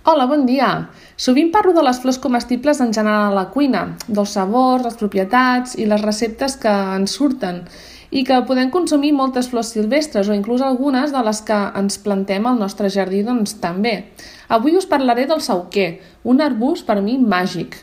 Hola, bon dia! Sovint parlo de les flors comestibles en general a la cuina, dels sabors, les propietats i les receptes que ens surten i que podem consumir moltes flors silvestres o inclús algunes de les que ens plantem al nostre jardí també. Avui us parlaré del sauquer, un arbust per mi màgic.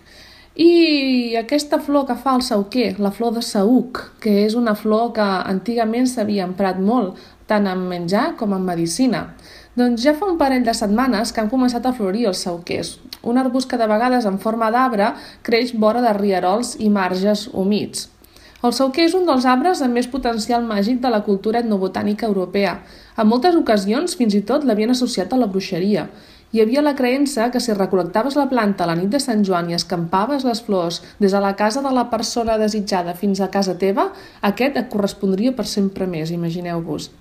I aquesta flor que fa el sauquer, la flor de saüc, que és una flor que antigament s'havia emprat molt, tant en menjar com en medicina. Doncs ja fa un parell de setmanes que han començat a florir els sauquers, un arbust que de vegades en forma d'arbre creix vora de rierols i marges humits. El sauquer és un dels arbres amb més potencial màgic de la cultura etnobotànica europea. En moltes ocasions fins i tot l'havien associat a la bruixeria. Hi havia la creença que si recol·lectaves la planta a la nit de Sant Joan i escampaves les flors des de la casa de la persona desitjada fins a casa teva, aquest et correspondria per sempre més, imagineu-vos.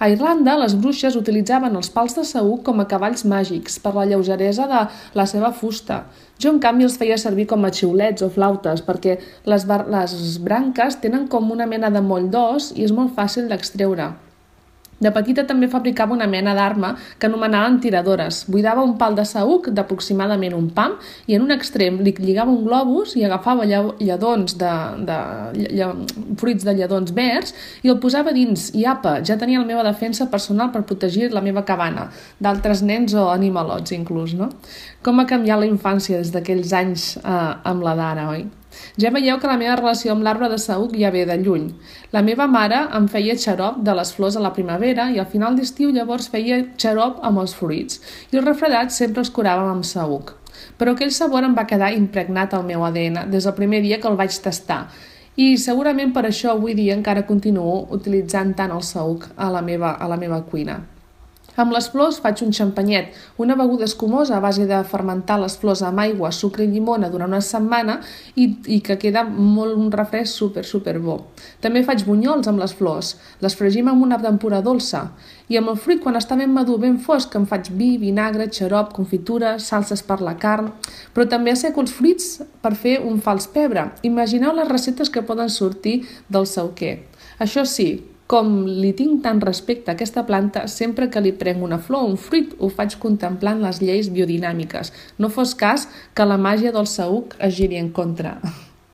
A Irlanda, les bruixes utilitzaven els pals de saüc com a cavalls màgics per la lleugeresa de la seva fusta. Jo, en canvi, els feia servir com a xiulets o flautes perquè les branques tenen com una mena de moll d'os i és molt fàcil d'extreure. De petita també fabricava una mena d'arma que anomenaven tiradores. Buidava un pal de saüc d'aproximadament un pam i en un extrem li lligava un globus i agafava fruits de lledons verds i el posava dins i apa, ja tenia la meva defensa personal per protegir la meva cabana, d'altres nens o animalots inclús, no? Com ha canviat la infància des d'aquells anys amb la d'ara, oi? Ja veieu que la meva relació amb l'arbre de saüc ja ve de lluny. La meva mare em feia xarop de les flors a la primavera i al final d'estiu llavors feia xarop amb els fruits i els refredats sempre els curàvem amb saüc. Però aquell sabor em va quedar impregnat al meu ADN des del primer dia que el vaig tastar i segurament per això avui dia encara continuo utilitzant tant el saüc a la meva cuina. Amb les flors faig un xampanyet, una beguda escumosa a base de fermentar les flors amb aigua, sucre i llimona durant una setmana i que queda un refresc super bo. També faig bunyols amb les flors, les fregim amb una tempura dolça i amb el fruit quan està ben madur, ben fosc, em faig vi, vinagre, xarop, confitura, salses per la carn, però també asseco els fruits per fer un fals pebre. Imagineu les receptes que poden sortir del sauquer. Això sí, com li tinc tant respecte a aquesta planta, sempre que li prenc una flor o un fruit ho faig contemplant les lleis biodinàmiques. No fos cas que la màgia del saüc es giri en contra.